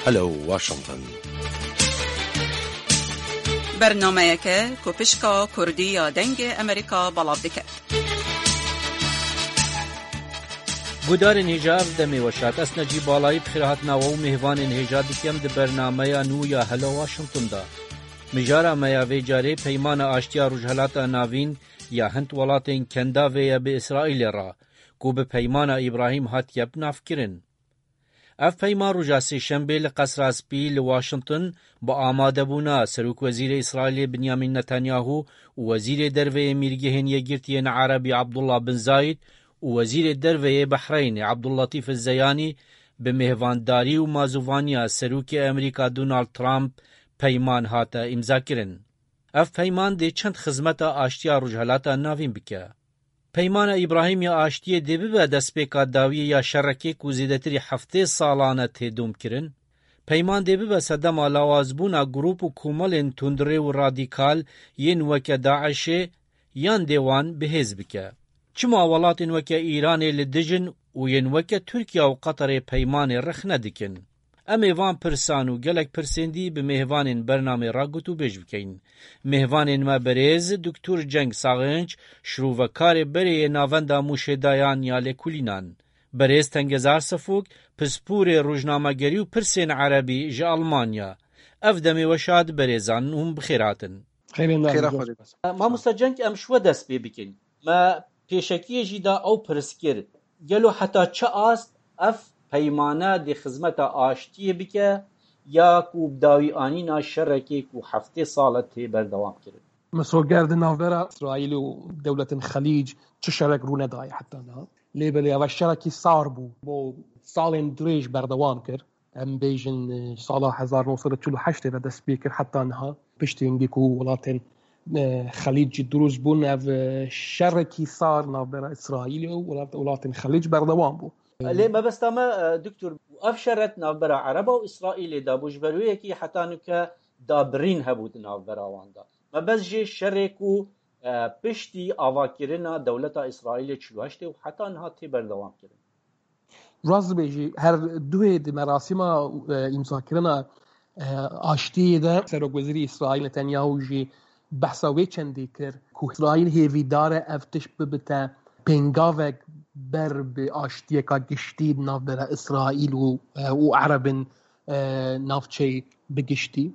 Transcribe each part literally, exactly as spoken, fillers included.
Hello Washington. Bernameyeke ku pişka Kurdî ya Dengê Amerîka belav dike. Gudarên hêja, ev demê weşat. Ez Necîb Balayî bi xêrhatina we û mêvanên hêja dikem di bernameya nû ya Hello Washington de. Mijara me ya vê carê peymana aştiya Rojhelata Navîn ya hind welatên Kendavê ye bi Îsraîlê re, ku bi peymana Îbrahîm hatiye binavkirin. Ev peyman roja Sêşembê li Qesra Spî li Washington bi amadebûna Serokwezîrê Îsraîlê Binyamin Netanyahu û Wezîrê Derve yê Mîrgehên Yekgirtiyên Erebî Abdullah bin Zayed û Wezîrê Derve yê Behreynê Abdullatîf Zeyanî bi mêvandarî û mazûvaniya Serokê Amerîka Donald Trump peyman hate îmzakirin. Ev peyman dê çend xizmeta aştiya Rojhelata Navîn bike. Peymana Îbrahîm ya aştiyê dê bibe destpêka dawiyê ya şerekê ku zêdetirî heftê salan e tê domkirin. Peyman dê bibe sedema lawazbûna grûp û komelên tundrê û radîkal yên weke DAIŞê yan dê wan bihêz bike. Çima welatên weke Îranê li dij in û yên weke Tirkiye û Qeterê peymanê rexne dikin? Em ê van pirsan û gelek pirsên dî bi mêvanên bernamê re gotûbêj bikeyin. Mêvanên me berêz Doktor Ceng Saxinç, şirovekarê berê yê Navenda Mûşê Dayan ya Lêkolînan. Berêz Tengezar Sefok, pisporê rojnamegerî û pirsên erebî ji Almanya. Ev demê weşat berêzan hûn bi xêr hatin. Xêrê Xêra Xwedê. Mamosta Cenk, em ji we dest pê bikin. Me pêşekiyê jî da ew pirs kir. Gelo heta çi ast ev peymane dê xizmeta aştiyê bike ya ku bi dawî anîna şerekê ku heftê sal e tê berdewam kirin? Misoger di navbera Îsraîl û dewletên Xelîc çi şerek rû nedaye heta niha. Lê belê ev şerekî sar bû. Bo salên dirêj berdewam kir. Em bêjin, e, sala hezar neh sed û çil û heştê ve dest pê kir heta niha. Piştî hingî ku welatên, e, Xelîc jî dirûst bûn, ev, e, şerekî sar navbera Îsraîlê û welat-, welatên Xelîc berdewam bû. Lê mebesta me, e, Doktor, ev şeret navbera Ereba û Îsraîlê de bû, ji ber wê yekî heta nuke dabirîn hebû di navbera wan de. Mebest jê şerê ku, e, piştî avakirina dewleta Îsraîlê çil û heştê û heta niha tê berdewam kirin. Rast dibêjî, her duhê di merasîma, e, îmzakirina, e, aştiyê de Serokwezîrê Îsraîl Netanyahu jî behsa wê çendî kir ku Îsraîl hêvîdar e ev tişt bibite pêngavek ber bi aştiyeka giştî di navbera Îsraîl û, e, û Erebin, e, navçeyê bi giştî.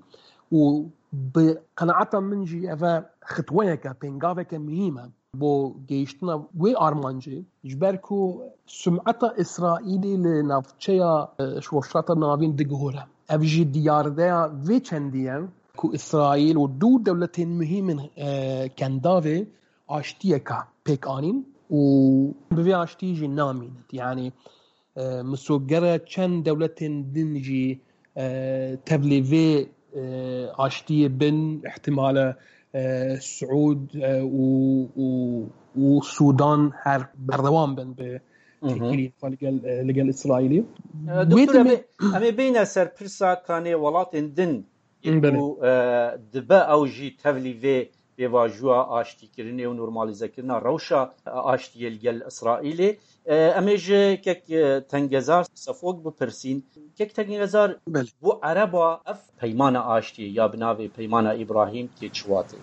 Û bi qenaeta min jî ev e xitweyeke, pêngaveke muhîm e. Bo gihîştina wê armancê, ji ber ku sumeta Îsraîlê li navçeya, e, Rojhilata Navîn digihore. Ev jî diyardeya vê çendî ye ku Îsraîl û du dewletên muhîm in, e, Kendavê aştiyeka pêk anîn û bi vê aştiyê jî namînin. Yanî, e, misoger e çend dewletên din jî, e, tevlî vê, e, aştiyê bin, ihtimale, e, Siûd, e, û, û, û Sûdan her berdewam bin bi Hı hı. têkilî xwe li gel, e, li gel Îsraîlê. E, Wê Doktor, em demê ê, em ê bêne ser pirsa kanê welatên din Belê. Ku, e, dibe ew jî tevlî vê pêvajoya aştîkirinê û normalîzekirina rewşa, e, aştiyê li gel Îsraîlê. E, em ê ji kek, e, Tengezar Sefok bipirsîn. Kek Tengezar, Belê. Bo Ereba ev peymana aştiyê ya bi navê Peymana Îbrahîm tê çi watê?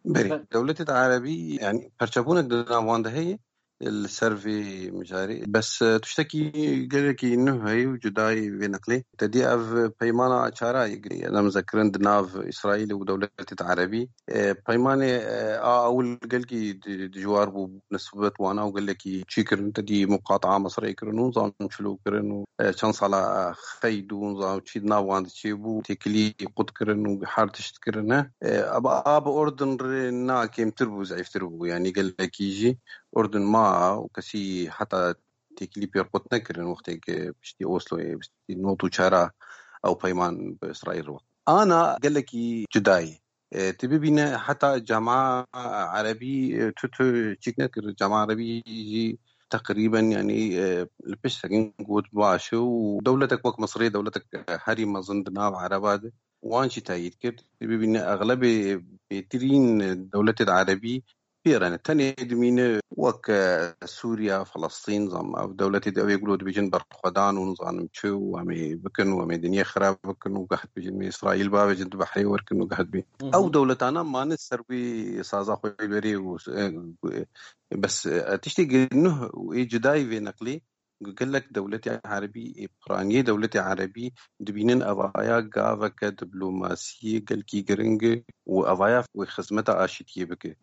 Belê. Be- Dewletê de Erebî, yanî perçebûnek di nav wan de heye. Li ser vê mijarê. Bes, e, tiştekî gelekî nuh heye û cudayî vê neqlê. Te dî ev peymana çara yê nemze kirin di nav Îsraîlê û dewletê de Erebî. E, peymanê, e, a ewil gelkî di-, dijwar bû, nisbet wana û gelekî çî kirin. Te dî muqataa Misirê kirin û zanim çilo kirin û, e, çend sala xeyd û zanim çî di nav wan de çêbû, têkilî qut kirin û her tişt kirine. E, aba a bi Urdun re na kêmtir bû, zeîftir bû. Yanî gelekî jî Urdun ma û kesî heta têkilî pê qut nekirin wextê ku piştî Osloyê, piştî not û çara ew peyman bi Îsraîl re. Ana gelekî cuda ye. E, tu bibîne heta cema erebî, e, tu, tu çîk nekir. Cema erebî jî teqrîben, yanî, e, li pişt sekin got baş e û dewletek wek Misirê, dewletek herî mezin di nav Ereba de, wan jî teyîd kir. Tu bibîne exlebê bêtirîn dewletê de Erebî pêre ne. Tenê dimîne wek, e, Sûriya, Felestîn, zam ev dewletê de ew ê gulo dibêjin berxwedan û nizanim çi û em ê bikin û em ê dinyê xirab bikin û gah dibêjin me Îsraîl bavêjin di behrê werkin û gah dibê. Hı hı. Ew dewletana mane ser wî saza xwe berê û, e, bes, e, tiştê nuh û ê cudayî vê neqlê gelek dewletê erebî, ê piraniye dewletê erebî dibînin evaya gaveke diplomasiyê gelkî giring e û evaya wê xizmeta aşîtiyê bike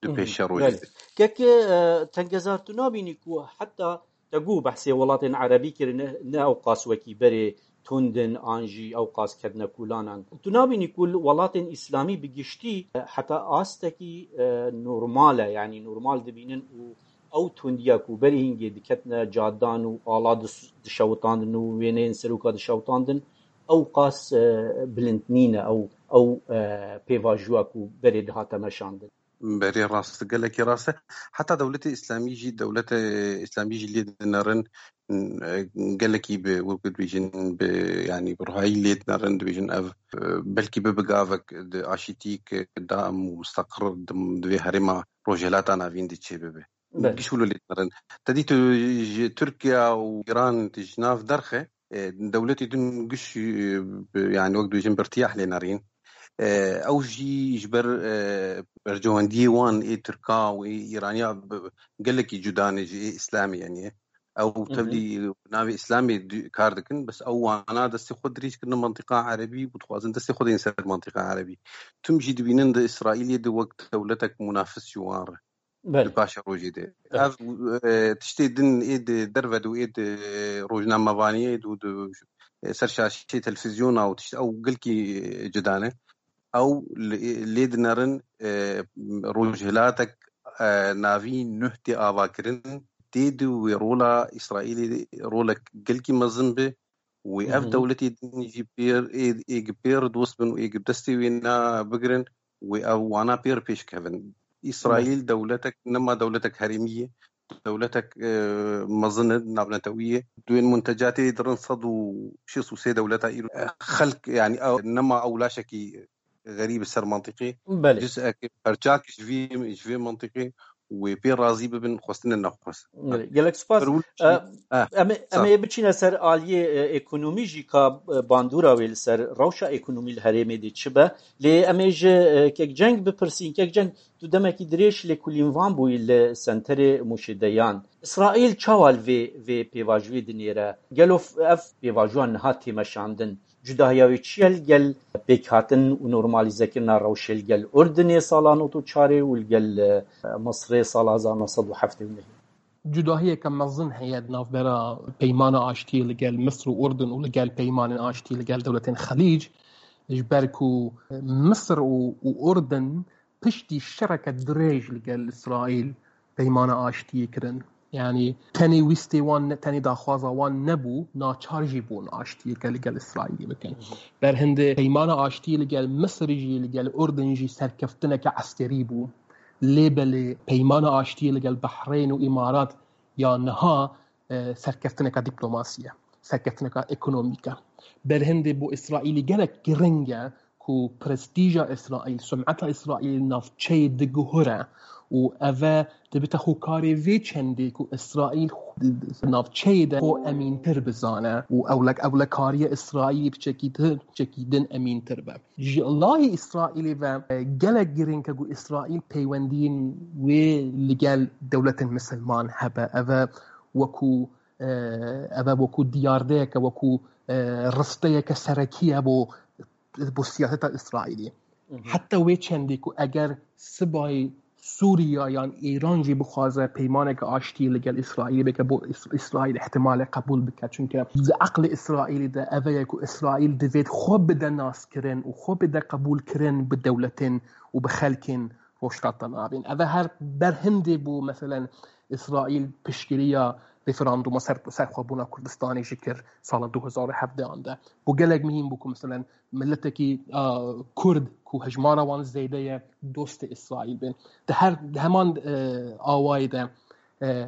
di Hı hı, pêşerojê belê. De. Kek, e, Tengezar, tu nabînî ku heta te got behsê welatên erebî kirine, ne ew qas wekî berê tundin an jî ew qas ketine kûlanan. Tu nabînî ku welatên îslamî bi giştî, e, heta astekî, e, normal e, yanî normal dibînin û ew tundiya ku berî hingê diketine cadan û ala dis-, dişewitandin û wêneyên seroka dişewitandin, ew qas, e, bilind nîne, ew, ew, e, pêvajoya ku berê dihate meşandin. Berê rast, gelekî rast e. Heta dewletê îslamî jî, dewletê îslamî jî lê dinerin, e, gelekî bi, wek dibêjin, bi, yanî bi ruhayî lê dinerin, dibêjin ev, e, belkî bibe gavek di aşîtî ke daim û mustaqir di, di vê herêma Rojhilata Navîn de çêbibe. Belê. Giş wilo lê dinerin. Te dî tu ji Tirkiye û Îran tu ji nav derxe, e, dewletê din giş, e, bi, yanî wek dibêjin bi irtiyah lê nerîn. E, ew jî ji ber, e, bercewendiyê wan ê Tirka û ê Îraniya bi, gelekî cuda ne ji ê Îslamê, yanî ew Hı hı. tevlî navê Îslamê di, kar dikin, bes ew wana destê xwe dirêj kirine mentiqa erebî û dixwazin destê xwe deyên ser mentiqa erebî. Tim jî dibînin di Îsraîlê de wek dewletek munafis ji wan re. Belê. Di paşerojê de. Belê. Ev, e, tiştê din ê di derve de û ê di rojnamevaniyê de û di, e, ser şaşeyê televîzyona û tişt ew gelkî, e, cida ne. Ew li, lê dinerin, e, rojhilatek, e, navî nuh tê avakirin, tê di wê rola Îsraîlê rolek gelkî mezin bi. Wê Hı ev hı. dewletê din jî pêr ê, ê gi pêr dost bin û ê gi destê wê ne bigirin, wê ev wana pêr pêş kevin. Îsraîl Belê. dewletek, nema dewletek herêmî ye, dewletek, e, mezin e, navnetewî ye. Di wên muntecatê dirin sed û şêst û sê dewleta îro. E, xelk, yanî ew nema ew laşekî xerîb ser mentiqê. Belê. Ciz'ek, perçak ji vî, ji vê mentiqê wê pê razî bibin, xwestine nexwest. Belê. Gelek spas. Ferwil E, jî, e, em ê, em sağ. ê biçîne ser aliyê, e, ekonomî jî ka, e, bandora wê li ser rewşa ekonomî li herêmê de çi be. Lê em ê ji, e, Kek Ceng bipirsîn. Kek Ceng, tu demekî dirêj lêkolînvan bûyî li senterê Mûşê Deyan. Îsraîl çawa li vê, vê pêvajoyê dinêre? Gelo f-, ev pêvajoya niha tê meşandin? Cudahiya wê çi ye li gel pêkhatin û normalîzekirina rewşê li gel Urdinê sala nod û çarê û li gel, e, Misrê sala hezar neh sed û heftê û nehê? Cudahiyeke mezin heye di navbera peymana aştiyê li gel Misr û Urdin û li gel peymanên aştiyê li gel dewletên Xelîc, ji ber ku Misr û, û Urdin piştî şereke dirêj li gel Îsraîl peymana aştiyê kirin. Yanî tenê wîstê wan ne, tenê daxwaza wan nebû, naçar jî bûn aştiyeke li gel Îsraîlê bikin. Ber hindê peymana aştiyê li gel Misirî jî, li gel Urdin jî serkeftineke eskerî bû. Lê belê peymana aştiyê li gel Behreyn û Îmarat ya niha, e, serkeftineke dîplomasî ye, serkeftineke ekonomîk e. Ber hindê bo Îsraîlî gelek giring e ku prestîja Îsraîl, sumeta Îsraîlî navçeyê diguhere û eve dibite hokarê vê çendê ku Îsraîl navçeyê de xwe emîntir bizane û ewlek-, ewlekariya Îsraîlî bi çekî di-, çekî din emîntir be. Ji layê Îsraîlê ve, e, gelek giring e ku Îsraîl peywendiyên wê li gel dewletên misilman hebe. Eve wekû, e, eve wekû diyardeyeke, wekû, e, risteyeke serekî ye bo bo siyaseta Îsraîlî. Mhm. Heta wê çendê ku eger sibayê Sûriya yan Îran jî bixwaze peymaneke aştiyê li gel Îsraîlê bike, bo Îs-, Îsraîl ihtimale qebûl bike. Çunke di eqlê Îsraîlî de eve ye ku Îsraîl divêt xwe bide naskirin û xwe bide qebûlkirin bi dewletên û bi xelkên Rojhilata Navîn. Eve her berhindê bû, meselen, Îsraîl piştgiriya referanduma ser, serxwebûna Kurdistanê jî kir sala du hezar û hevdeh de. Bû gelek mihîm bû ku, meselen, miletekî, a, Kurd ku hejmara wan zêde ye, dostê Îsraîl bin. Di her, di heman, e, awayê de, e,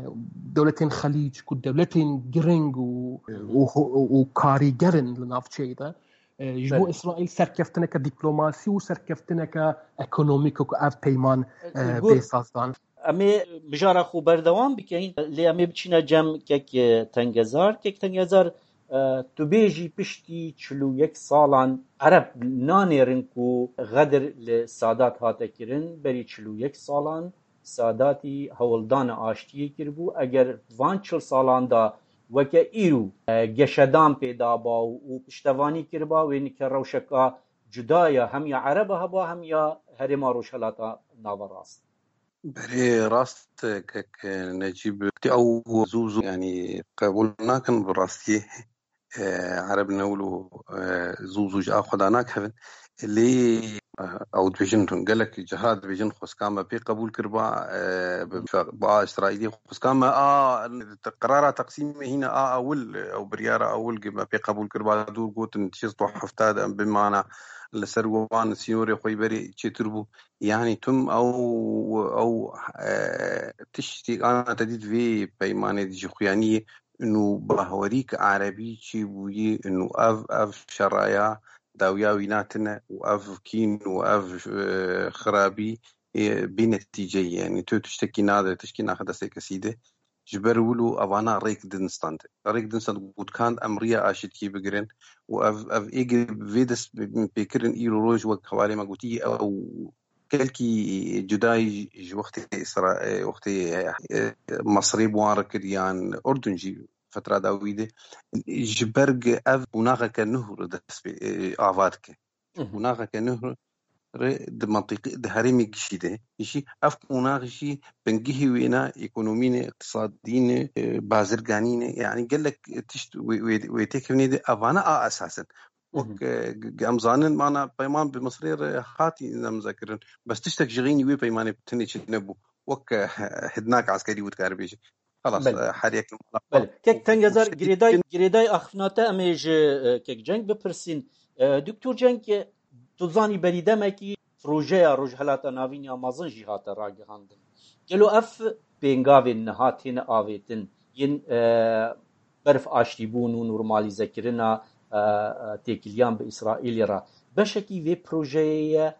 dewletên Xelîc ku dewletên giring û, û, û, û karîger in li navçeyê de, E, ji bo Belê. Îsraîl serkeftineke dîplomasî û serkeftineke ekonomîk ku ev peyman, e, Gur- bê sazdan. Em ê mijara xwe berdewam bikeyin, lê em ê biçîne cem kek, e, Tengezar. Kek Tengezar, e, tu bêjî piştî çil û yek salan Ereb nanêrin ku xedir li Sadat hate kirin, berî çil û yek salan Sadatî hewldana aştiyê kiribû. Eger van çil salan de weke îro, e, geşedan pê daba û, û piştevanî kiriba, wê nike rewşeka cuda ya hem ya Ereba heba hem ya herêma Rojhelata Naverast. Berê rast e, kek Necîb, ew zû zû, yanî, qebûl nakin bi rastiyê. E, Ereb ne wilo, e, zû zû ji a xwe da nakevin. Lê, e, ew dibêjin, gelek ciha dibêjin xweskan me pê qebûl kiriba, e, bi, bi a Îsraîlî xweskan me a, qerara teqsîmê hîne a ewil, ew biryara ewil me pê qebûl kiriba, dûr gotin şêst û heft de em bimana li ser wan sînorê xwe berê çêtir bû. Yanî tim ew, ew, e, tiştê ana te dît vê peymanê jixuyaniyê, û bahwerî ki erebî çêbûyî, û ev, ev şeraya dawiya wî natine û ev kîn û ev, e, xirabî, e, bê netîce ye. Yanî tu tiştekî nade, tiştekî naxe destê kesî de. Ji ber wilo evana rêk din stand. Rêk din stand gotkand em riya aşîtkî bigirin û ev, ev êgir vê dest pêkirin îro roj wek hevalê me gotî ew gelkî cudayî ji wextê Îsra-, wextê, e, Mesirê bi wan re kir yan Urdun jî fetra dawî de. Ji ber ev qonaxeke nuh re dest pê, e, ava dike. Hı hı. Qonaxeke nuh re di mentiqê, di herêmê gişî de jî ev qonax jî bingehê wê ne, ekonomî ne, îqtisadî ne, e, bazirganî ne. Yanî gelek tişt wê, wê, wê têkevnê de evana a esas in. Wek, Hı hı. e, g-, g-, em zanin, mana peyman bi Misirê re hatî nemze kirin. Bes tiştek ji xeynî wê peymanê tenê çi nebû. Wek, e, hidnak eskerî û dikare bêje. Xelas, Belê. e, her yek li mala xwe. Belê. Kek Tengezar, girêday, girêday axiftina te em ê ji, e, kek Cenk bipirsîn. E, Doktor Cenk, e, tu zanî berî demekî projeya Rojhelata Navîn ya mezin jî hate ragihandin. Gelo ev pêngavên niha têne avêtin yên, e, berf aştîbûn û normalîzekirina, e, e, têkiliyan bi Îsraîlê re beşekî vê projeyê ye?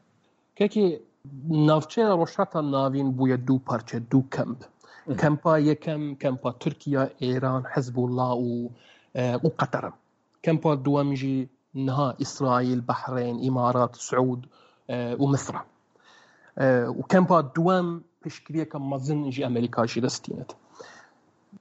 Kekê, navçeya Rojhilata Navîn bûye du parçe, du kemp. Hı hı. Kempa yekem, kempa Tirkiye, Êran, Hizbullah û, e, û Qeter e. Kempa duwem jî niha Îsraîl, Behreyn, Îmarat, Siûd, e, û Misir e. E, û kempa duwem piştgiriyeke mezin ji Amerîka jî destînet.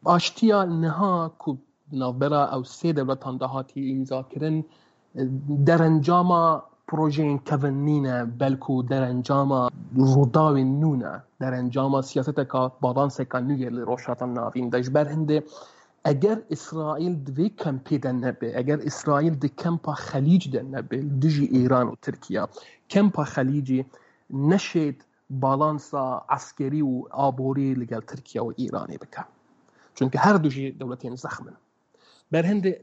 Aştiya niha ku di navbera ew sê dewletan de hatiye îmzakirin, e, derencama projeyên kevin nîne, belku derencama rûdawên nû ne, derencama siyaseteka balanseka nû ye li Rojhilata Navîn de. Ji ber hindê eger Îsraîl di vê kempê de nebe, eger Îsraîl di kempa Xelîc de nebe, li dijî Îran û Tirkiye, kempa Xelîcî neşêt balansa eskerî û aborî li gel Tirkiye û Îranê bike. Çunke her du jî dewletên zexm in. Berhindê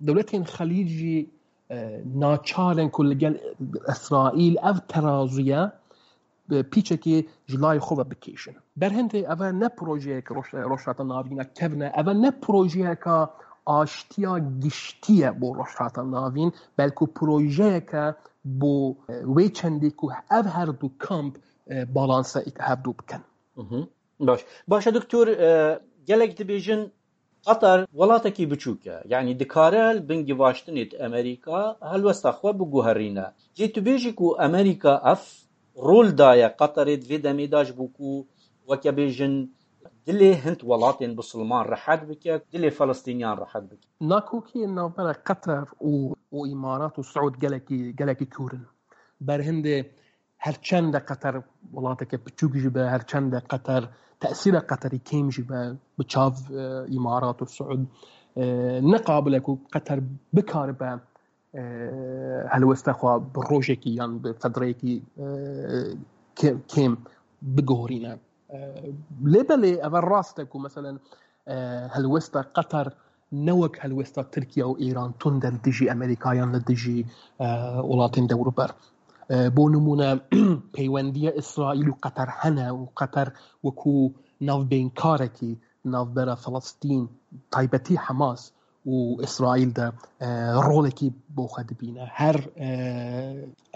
dewletên Xelîc jî, e, naçar in ku li gel Îsraîl ev terazuye, e, pîçekê ji layê xwe ve bikêşin. Berhindê ev ne projeyeke Roj-, Rojhilata Navîn e kevn e, ev ne projeyeke aştiya giştî ye bo Rojhilata Navîn, belku projeyeke bo, e, wê çendê ku ev her du kamp, e, balanse hev du bikin. Mhm. Baş. Baş e, doktor, e, gelek dibêjin Qatar welatekî biçûk e. Yanî dikare li bin givaştinê di Amerîka helwesta xwe biguherîne. Lê tu bêjî ku Amerîka ev rol daye Qatarê di vê demê de ji bo ku weke bêjin dilê hind welatên bisilman rehet bike, dilê Felistîniyan rehet bike. Nakokiyên navbera Qatar û, û Îmarat û Siûd gelekî, gelekî kûr in. Berhindê her çend de Qatar welateke biçûk jî be, her çend de Qatar tesîra Qatarî kêm jî be, bi çav, e, Îmarat û Siûd, e, ne qabil e ku Qatar bikaribe, e, helwesta xwe bi rojekî yan bi fedreyekî, e, kê-, kêm biguhorîne. E, lê belê ev rast e ku meselen, e, helwesta Qatar ne wek helwesta Tirkiye û Îran tund e li dijî Amerîka yan li dijî, e, welatên dewrûber. E, bo nimûne peywendiya Îsraîl û Qatar hene û Qatar wekû navbênkarekî navbera Filistîn, taybetî Hamas û Îsraîl de, e, rolekî bo xwe dibîne. Her, e,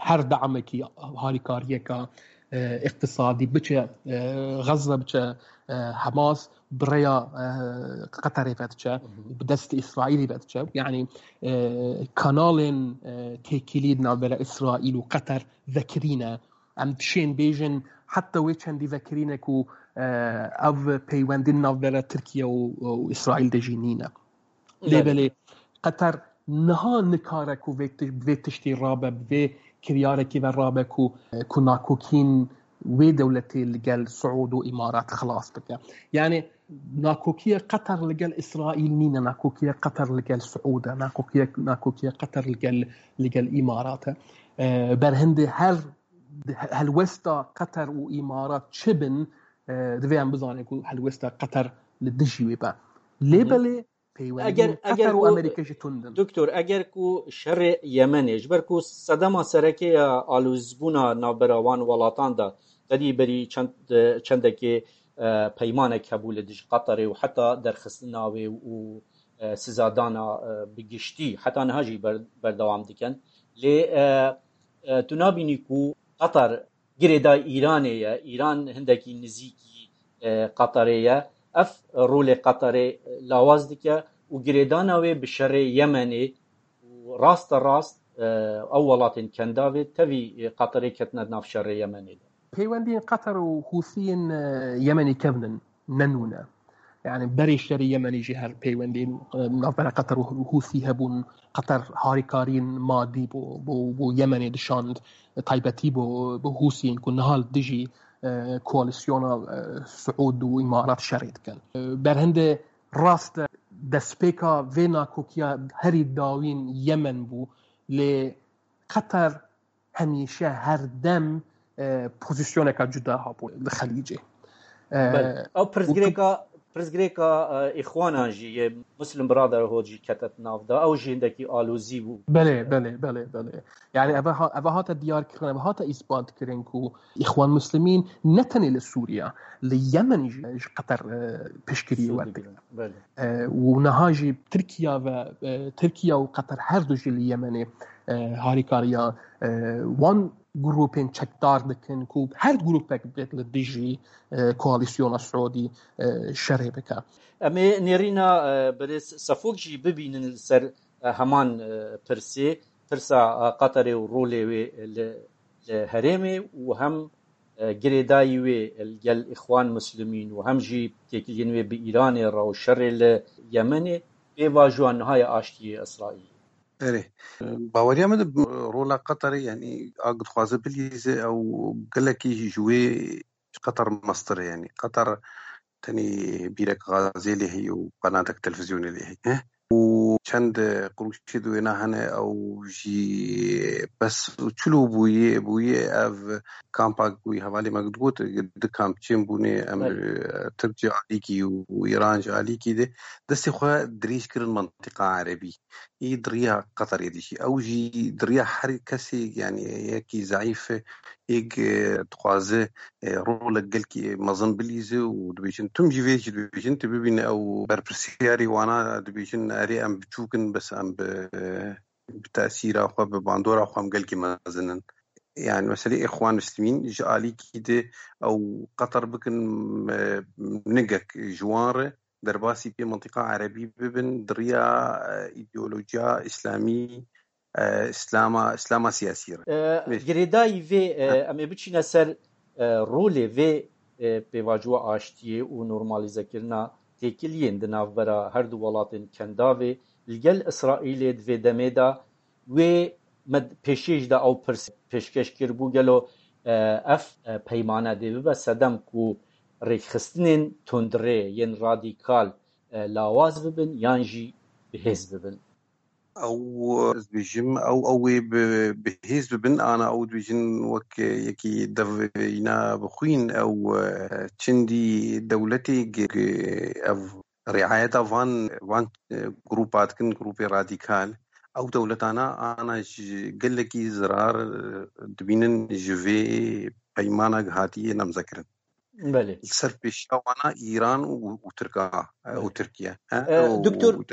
her damekî, harîkariyeka, e, îqtisadî biçe, e, Xezze biçe, e, Hamas, bi rêya, e, Qeterê ve diçe, bi destê Îsraîlî ve diçe. Yanî, e, kanalên, e, têkilî di navbera Îsraîl û Qeter vekirî ne. Em dişên bêjin, heta wê çendî vekirî ne ku, e, ev peywendî di navbera Tirkiye û, û Îsraîl de jî nîne. Lê Belê. belê Qeter niha nikare ku vê ti-, vê tiştî rabe, bi vê kiryarekî ve rabe ku, ku nakokîn wê dewletê li gel Siûd û Îmarat xilas bike. Yanî nakokiye Qeter li gel Îsraîl nîne, nakokiye Qeter li gel Siûd e, nakokiye, nakokiye Qeter li gel, li gel Îmarat e. E, berhindê her helwesta Qeter û Îmarat çi bin, e, divê em bizanin ku helwesta Qeter li dijî wê be. Lê Hı hı. belê Eger, peywendiyên eger Qeter û ku, Amerîka jî tund in. Doktor, eger ku şerê Yemenê, ji ber ku sedema sereke ya alozbûna navbera wan welatan de, qedî berî çend, çendekê, e, peymanek hebû li dij Qeterê û heta derxistina wê û, e, sizadana, e, bi giştî, heta niha jî ber-, berdewam dikin. Lê, e, e, tu nabînî ku Qeter girêdayî Îranê ye, Îran hindekî nizîkî, e, Qeterê ye. Ev rolê Qeterê, e, lawaz dike û girêdana wê bi şerê Yemenê û raste rast, e, ew welatên Kendavê tevî, e, Qeterê ketine nav şerê Yemenê de. Peywendiyên Qeter û Hûsiyên, e, Yemenê kevn in, ne nû ne. Yani berê şerê Yemenê jî her peywendiyên, e, navbera Qeter û Hûsî hebûn. Qeter harîkariyên madî bo, bo, bo Yemenê dişand, taybetî bo, bo Hûsiyên ku niha li dijî, e, koalîsyona, e, Siûd û Îmarat şerê dikin. E, berhindê rast e, destpêka vê nakokiya herî dawîn Yemen bû, lê Qeter hemîşe her dem, e, pozîsyoneka cuda hebû li Xelîcê. E, Belê. Ew û pirsgirêka, pirsgirêka, e, Îxwanan jî yê Muslim Brotherhood jî kete di nav de. Ew jî hindekî alozî bû. Belê, belê, belê, belê. Yani eve ha-, eve hate diyar kirin, eve hate îsbat kirin ku Îxwan Muslimîn ne tenê li Sûriye, li Yemen jî ji Qeter, e, piştgirî Sû werte. digirin. Belê. E, û niha jî Tirkiye ve, e, Tirkiye û Qeter her du jî li Yemenê, e, harîkariya, e, wan grûpên çekdar dikin ku her grûpek bêt li dijî, e, koalîsyona Siûdî, e, şerê bike. Em ê nêrîna, e, birêz Sefok jî bibînin li ser, e, heman, e, pirsê, pirsa, e, Qeterê û rolê wê li, li herêmê û hem e, girêdayî wê li gel Îxwan Muslimîn û hem jî têkiliyên wê bi Îranê re û şerê li Yemenê, pêvajoya niha ya aştiyê Îsraîlê. Erê. Baweriya min de rola Qeterê, yanî, a dixwaze bilîze ew gelekî ji wê ji Qeter mestir e, yanî Qeter tenê bîrek gazê lê heye û qenatek televîzyonê lê heye. Û çend qurûşê di wêna hene, ew jî bes û çilo bûye, bûye ev kampa ku hevalê me digot, di kamp çêm bûne, em, Belê. e, Tirk ji alîkî û Îran ji alîkî de destê xwe dirêj kirin mentiqa erebî. Î di riya Qeterê de jî. Ew jî di riya her kesê, yanî yekî zeîf e, yek, e, dixwaze, e, rolek gelkî mezin bilîze û dibêjin, tim jî vê jî dibêjin, tu bibîne ew berpirsiyarî wana dibêjin, erê em biçûk in, bes em bi, bi tesîra xwe, bi bandora xwe em gelkî mezin in. Yani meselê Îxwan Muslimîn ji alîkî de ew Qeter bikin, e, nigek ji wan re, derbasî pê mintîqa erebî bibin, di riya, e, îdeolojiya îslamî, e, îslama, îslama siyasî re. E, Vê- girêdayî vê, e, Ha. em ê biçîne ser, e, rolê vê, e, pêvajoya aştiyê û normalîzekirina têkiliyên di navbera her du welatên Kendavê li gel Îsraîlê di vê demê de wê me pêşiyê jî de ew pirs pêşkeş kiribû, gelo, e, ev, e, peymane dê bibe sedem ku rêkxistinên tundrê yên radîkal, e, lawaz bibin yan jî bihêz bibin? Ew, ez dibêjim, ew, ew wê bi, bihêz bibin, ana ew dibêjin wek yekî dev îna bixwîn, ew, e, çindî dewletê ge-, ge-, ev riayeta van, van, e, grûpa dikin, grûpê radîkal. Ew dewletana ana ji gelekî zirar, e, dibînin ji vê peymana hatiye nemzekirin. Belê. Li ser pêşiya wana Îran û, û Tirka, e, û Tirkiye. He? E, Û, Doktor û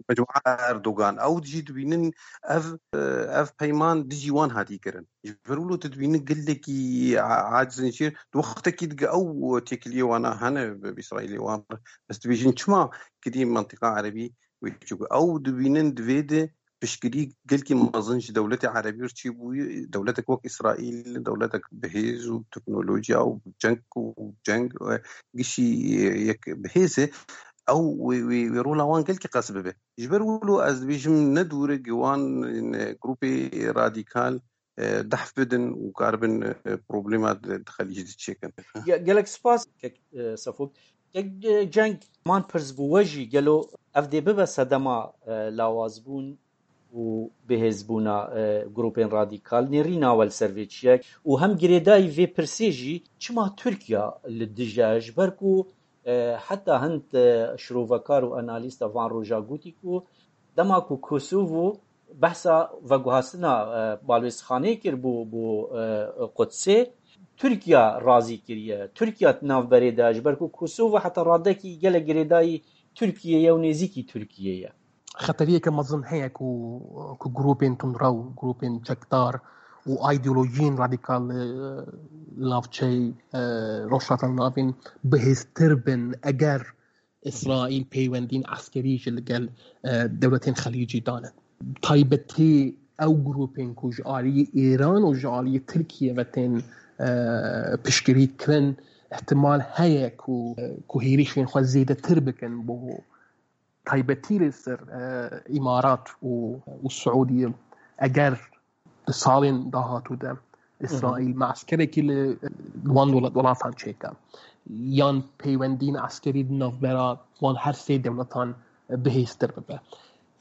mecmua Erdogan. Ew jî dibînin ev, e, ev peyman dijî wan hatî kirin. Ji ber wilo tu dibînin gelekî a-, aciz in jî. Di wextekî dige ew têkiliyê wana hene bi, bi Îsraîlê wan. Bes dibêjin çima gidî mentiqa erebî wê çû. Ew dibînin di vê de piştgirî gelkî mezin ji dewletê erebî re çêbûyî, dewletek wek Îsraîl, dewletek bi hêz û teknolojiya û ceng û ceng, e, gişî, e, yek bi hêz e, ew wê, wê, wê rola wan gelkî qas bibe. Ji ber wilo ez dibêjim ne dûr e, gi wan, e, grûpê radîkal, e, dehf bidin û karibin, e, problema di, di Xelîcê de çêkin. Ge-, gelek spas, kek, e, Sefok. Kek, e, Ceng, man pirs bû we jî, gelo ev dê bibe sedema, e, lawazbûn û bihêzbûna, e, grûpên radîkal? Nêrîna we li ser vê çi ye? Û hem girêdayî vê pirsê jî, çima Tirkiye li dij e? Ji ber ku, e, heta hind, e, şirovekar û analîsta van roja gotî ku dema ku Kosovo behsa veguhastina, e, balwêzxanê kir bo, bo, e, Qudsê, Tirkiye razî kiriye. Tirkiye di navberê de, ji ber ku Kosovo heta radekî gelek girêdayî Tirkiyê ye û nêzîkî Tirkiyê ye. Xeteriyeke mezin heye ku, ku grûpên tundrew, grûpên çekdar û îdeolojiyên radîkal, e, li navçeyê, e, Rojhilata Navîn bihêztir bin, eger Îsraîl peywendiyên eskerî jî li gel, e, dewletên Xelîcî dane. Taybetî ew grûpên ku ji aliyê Îran û ji aliyê Tirkiye ve tên, e, piştgirî kirin, ihtimal heye ku, e, ku hêrişên xwe zêdetir bikin bo taybetî li ser, e, Îmarat û, û Siûdiye. Eger di salên dahatû de Îsraîl me'skerekî li, li wan welat-, welatan çêke, yan peywendiyên eskerî di navbera wan her sê dewletan bihêztir bibe.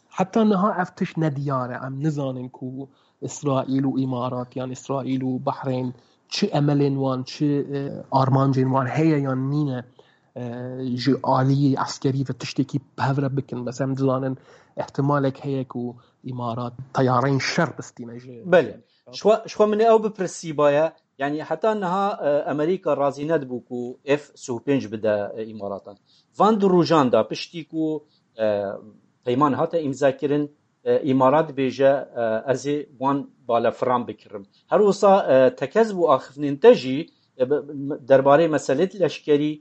Heta niha ev tişt nediyar e. Em nizanin ku Îsraîl û Îmarat yan Îsraîl û Behrên çi emelên wan, çi, e, armancên wan heye yan nîne, e, ji aliyê eskerî ve tiştekî bi hev re bikin. Bes em dizanin, ihtimalek heye ku Îmarat teyareyên şer bistîne ji. Belê. Ji xwe, ji xwe min ê ew bipirsîbaya, yanî heta niha, e, Amerîka razî nedibû ku F sî û pênc bide, e, Îmaratan. Van du rojan de piştî ku, e, peyman hate îmzakirin, e, Îmarat dibêje, e, ez ê wan balefiran bikirim. Her wisa, e, tekez bû axiftinên te jî, e, bi, derbarê meselê leşkerî,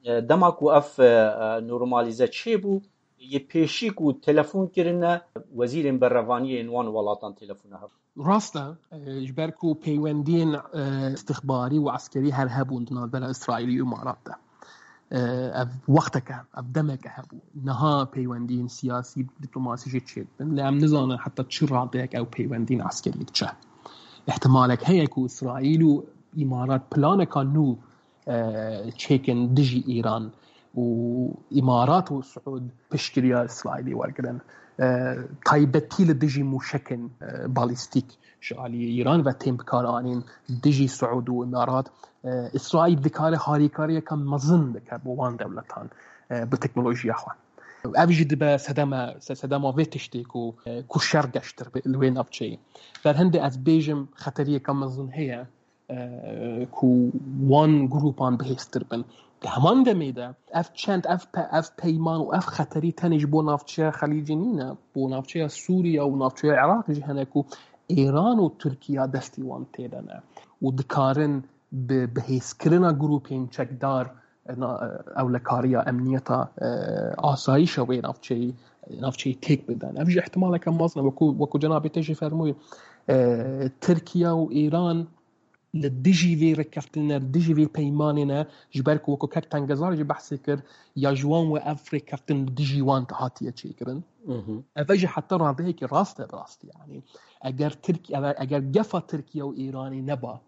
e, dema ku ev, e, e, normalîze çêbû, yê pêşî ku telefon kirine, wezîrên berevaniyê yên wan welatan telefona hev. Rast e, e, ji ber ku peywendiyên, e, istixbarî û eskerî her hebûn di navbera Îsraîlî û Îmarat de. E, ev wexteke, ev demeke hebû. Niha peywendiyên siyasî, diplomasî jî çêdibin. Lê em nizanin heta çi radeyek ew peywendiyên eskerî diçe. Îhtimalek heye ku Îsraîl û Îmarat planeka nû, e, çêkin dijî Îran û Îmarat û Siûd piştgiriya Îsraîlî wergirin. E, taybetî li dijî mûşekên, e, balîstîk ji aliyê Îran ve tên bikaranîn dijî Siûd û Îmarat. E, Îsraîl dikare harîkariyeke mezin bike bo wan dewletan, e, bi teknolojiya xwe. Ev jî dibe sedeme, se-, sedema vê tiştê ku, e, ku şer geştir be li wê navçeyê. Ber hindê ez bêjim xeteriyeke mezin heye, e, ku wan grûpan bihêztir bin. Di heman demê de ev çend, ev pe-, ev peyman û ev xeterî tenê ji bo navçeya Xelîcê nîne, bo navçeya Sûriye û navçeya Iraq jî hene ku Îran û Tirkiye destî wan tê de ne û dikarin bi bihêzkirina grûpên çekdar, e, na-, e, ewlekariya emniyeta, e, asayişa wê navçeyî, navçeyî têk bidin. Ev jî ihtimaleke mezin e, wekû, wekû cenabê te jî fermûyê, e, Tirkiye û Îran li dijî vê rêkeftinê ne, li dijî vê peymanê ne, ji ber ku wekû kek Tengezar jî behsê kir, ya ji wan we ev rêkeftin li dijî wan hatiye çêkirin. Ev jî heta radeyekî rast e, rast e, yanî eger Tirk-, eger, eger gefa Tirkiye û Îranê neba,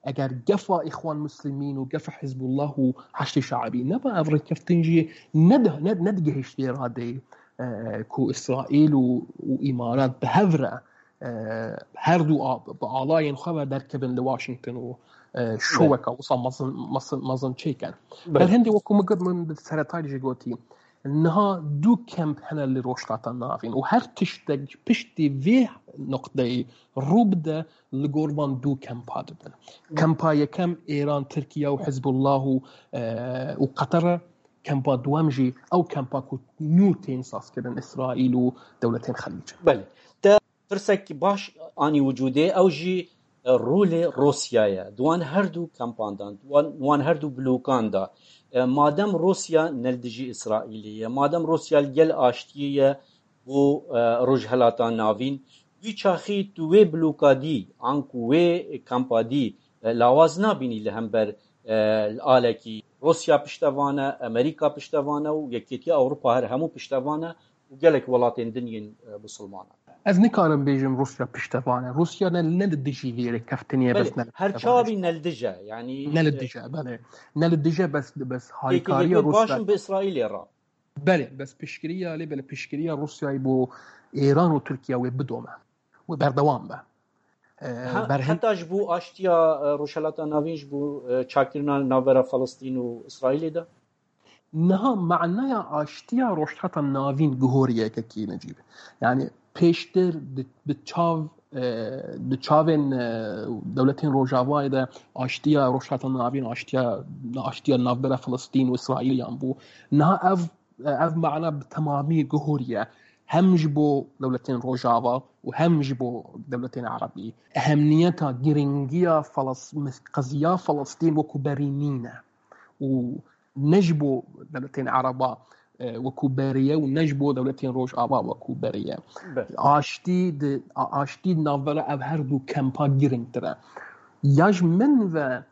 eger gefa Îxwan Muslimîn û gefa Hizbullah û Heşdê Şeibî neba, ev rêkeftin jî ned-, ned-, nedigihişt vê radeyê, e, ku Îsraîl û, û Îmarat bi hev re, e, her du a-, bi alayên xwe ve derkevin li Washington û, e, şoweka wisa mezin, mezin, mezin çêkin. Ber hindê wekû min got, min bi seretayî jî gotî, Niha du kemp hene li Rojhilata Navîn û her tiştek piştî vê noqteyê rû bide, li gor van du kempa dibin. Kempa yekem Êran, Tirkiye û Hizbullah û, e, û Qeter e. Kempa duwem jî ew kempa ku nû tên sazkirin Îsraîl û dewletên Xelîc. Belê. Te pirsek baş anî wicûdê, ew jî, e, rolê Rûsya ye. Di wan her du kempan de, di wan, wan her du blokan de, e, madem Rûsya ne li dijî Îsraîlê ye, madem Rûsya li gel aştiyê ye bo, e, Rojhilata Navîn, wî çaxî tu wê bloka dî, anku wê kampa dî, e, lawaz nabînî li hember, e, li alekî Rûsya piştevan e, Amerîka piştevan e û Yekêtiya Ewropa her hemû piştevan e û gelek welatên din yên, e, bisilman e. Ez nikarim bêjim Rûsya piştevan e. Rûsya ne, ne li dijî vê rêkeftinê ye, Belê, bes ne li her piştevan e. Çavî ne li dij e, yanî, Ne li e, dij e, belê. Ne li dij e, bes, bes harîkariya Pêkê Rûsya. Baş in bi Îsraîlê re. Belê, bes piştgiriya, lê belê piştgiriya Rûsyayê bo Êran û Tirkiye wê bidome. Wê berdewam be. E, Ha, berhin- heta ji bo aştiya, e, Rojhilata Navîn ji bo, e, çakkirina navbera Filistîn û Îsraîlê de? Niha manaya aştiya Rojhilata Navîn guhoriye yekekî Necîb. Yani pêştir di, di çav, e, di çavên, e, dewletên Rojavayê de aştiya Rojhilata Navîn, aştiya, aştiya navbera Filistîn û Îsraîl yan bû. Niha ev, ev mana bi temamî guhoriye. Hem ji bo dewletên Rojava û hem ji bo dewletên Erebî. Ehemiyeta, giringiya Falas-, qeziya Filistîn wekû berî nîne. Û ne ji bo dewletên Ereba, e, wekû berê ye û ne ji bo dewletên Rojava wekû berê ye. Be. Aştî di, a-, aştî di navbera ev her du kempa giringtir e. Ya ji min ve,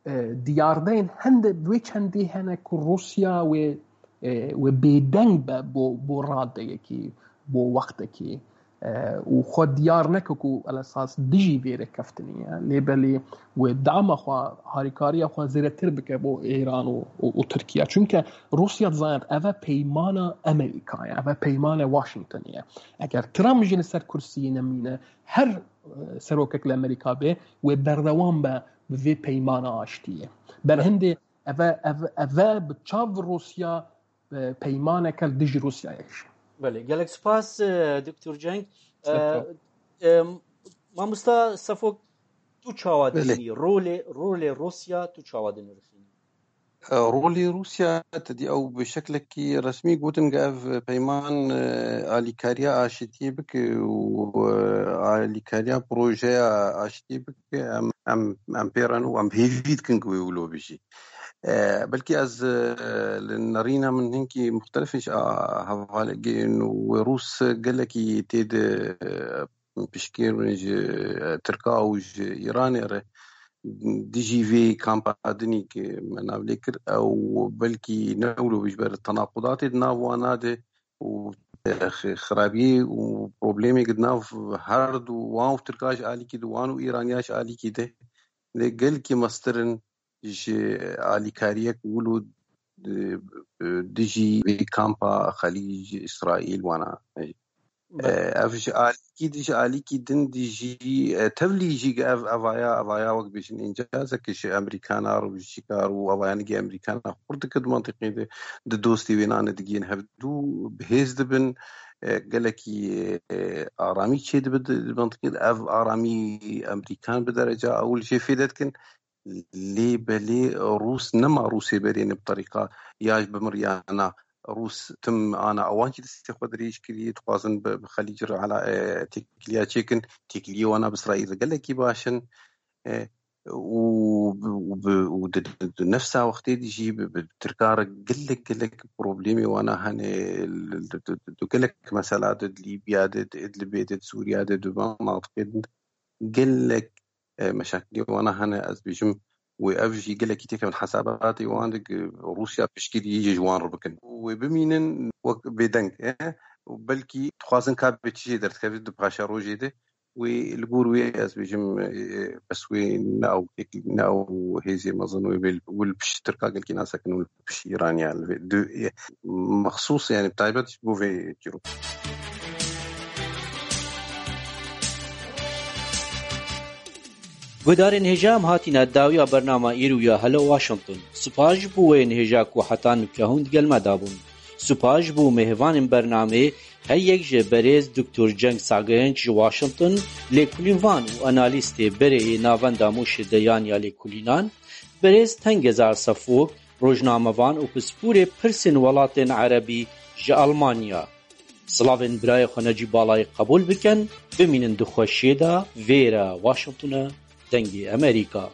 e, diyardeyên hende wê çendî hene ku Rûsya wê, e, wê bêdeng be bo, bo radeyekî, bo wextekî. E, û xwe diyar neke ku elesas dijî vê rêkeftinê ye. Lê belê wê dama xwe, harîkariya xwe zêdetir bike bo Êran û, û, û Tirkiye. Çunke Rûsya dizanît eve peymana Amerîka ye, eve peymane Washingtonê ye. Eger Trump jî li ser kursiyê nemîne, her, e, serokek li Amerîka bê, wê berdewam be bi vê peymana aştiyê. Berhindê eve, eve, eve bi çav Rûsya e, peymaneke li dijî Rûsyayê jî. Belê, gelek spas, e, Doktor Cenk. E, Spas. e, Mamosta Sefo, tu çawa Belê. dibînî? Rolê, rolê Rûsya tu çawa dinirxînî? E, rolê Rûsya, te dî ew bi şeklekî resmî gotin ku ev peyman, e, alîkariya aşitiyê bike û, e, alîkariya projeya aşitiyê bike, em, em, em pê re ne û em hêvî dikin ku wê wilo bijî. E, belkî ez, e, li nerîna min hinkî muxtelif in ji a hevalê gên û wê Rûs gelekî tê de, e, piştgirên ji, e, Tirka û ji Îranê re dijî vê kampa dinî ke me nav lê kir, ew belkî ne wilo bijber tenaqudatê di nav wana de û, e, xirabiyê û problemê di nav her du wan û Tirka ji alîkî de wan û Îraniya ji alîkî de lê gelkî mestir in ji alîkariyek wilo di, dijî vê kampa Xelîc, Îsraîl wana. Belê. E, ev ji alîkî, ji alîkî din dijî, e, tevlî jî ev, evaya, evaya wek bêjin încazeke ji Amerîkana re û ji çîkar û evayanigê Amerîkana xurt dike di mentiqê de, di dostê wênane digihên hevdû bi hêz dibin, e, gelekî, e, aramî çê dibe di, di mentiqê de. Ev aramî Amerîkan bi dereca ewil jê fêde dikin. Lê belê Rûs nema Rûsê berê ne bi terîqa ya ji bimir ya na. Rûs tim ana ewan jî destê xwe dirêj kiriye, dixwazin bi, bi Xelîc re ala, e, têkiliya çêkin. Têkiliyê wana bi Îsraîl re gelekî baş in. E, û bi, û bi, û di, di, di nefsa wextê de jî bi, bi Tirka re gelek, gelek problemê wana hene. Li, di, di, di, di gelek mesela de, di Lîbya de, di Idlibê de, di Sûriya de, di van mentiqê de gelek e, meşakilê wana hene, ez bêjim, wê ev jî gelekî têkevin hesabatê wan de, ku Rûsya piştgirî ji wan re bikin. Wê bimînin wek bêdeng, e, û belkî dixwazin ka bi çi jê derdikeve di paşerojê de, wê li gor wê ez bêjim, e, bes wê ne ew têk-, ne ew hêzê mezin wê, wê li pişt Tirka gelkî nasekin û li pişt Îraniya li vê, di, e, mexsûs, yani bi taybet ji bo vê çîrok. Guhdarên hêja, em hatîne dawiya bernama îro ya Hello Washington. Spas ji bo wê hêja ku heta nûke hûn digel me dabûn. Supa ji bo mêvanên bernameyê, her yek ji berêz Doktor Ceng Sagenc ji Washington, lêkolînvan û analîstê berê yê Navenda Mûşê de yan ya lêkolînan, berêz Tengezar Sefok, rojnamevan û pispûrê pirsên welatên erebî ji Almanya. Silavên birayê xwe Necîb Balayê qebûl bikin, bimînin di xweşiyê de, vêre Washington e, Dengê Amerîka.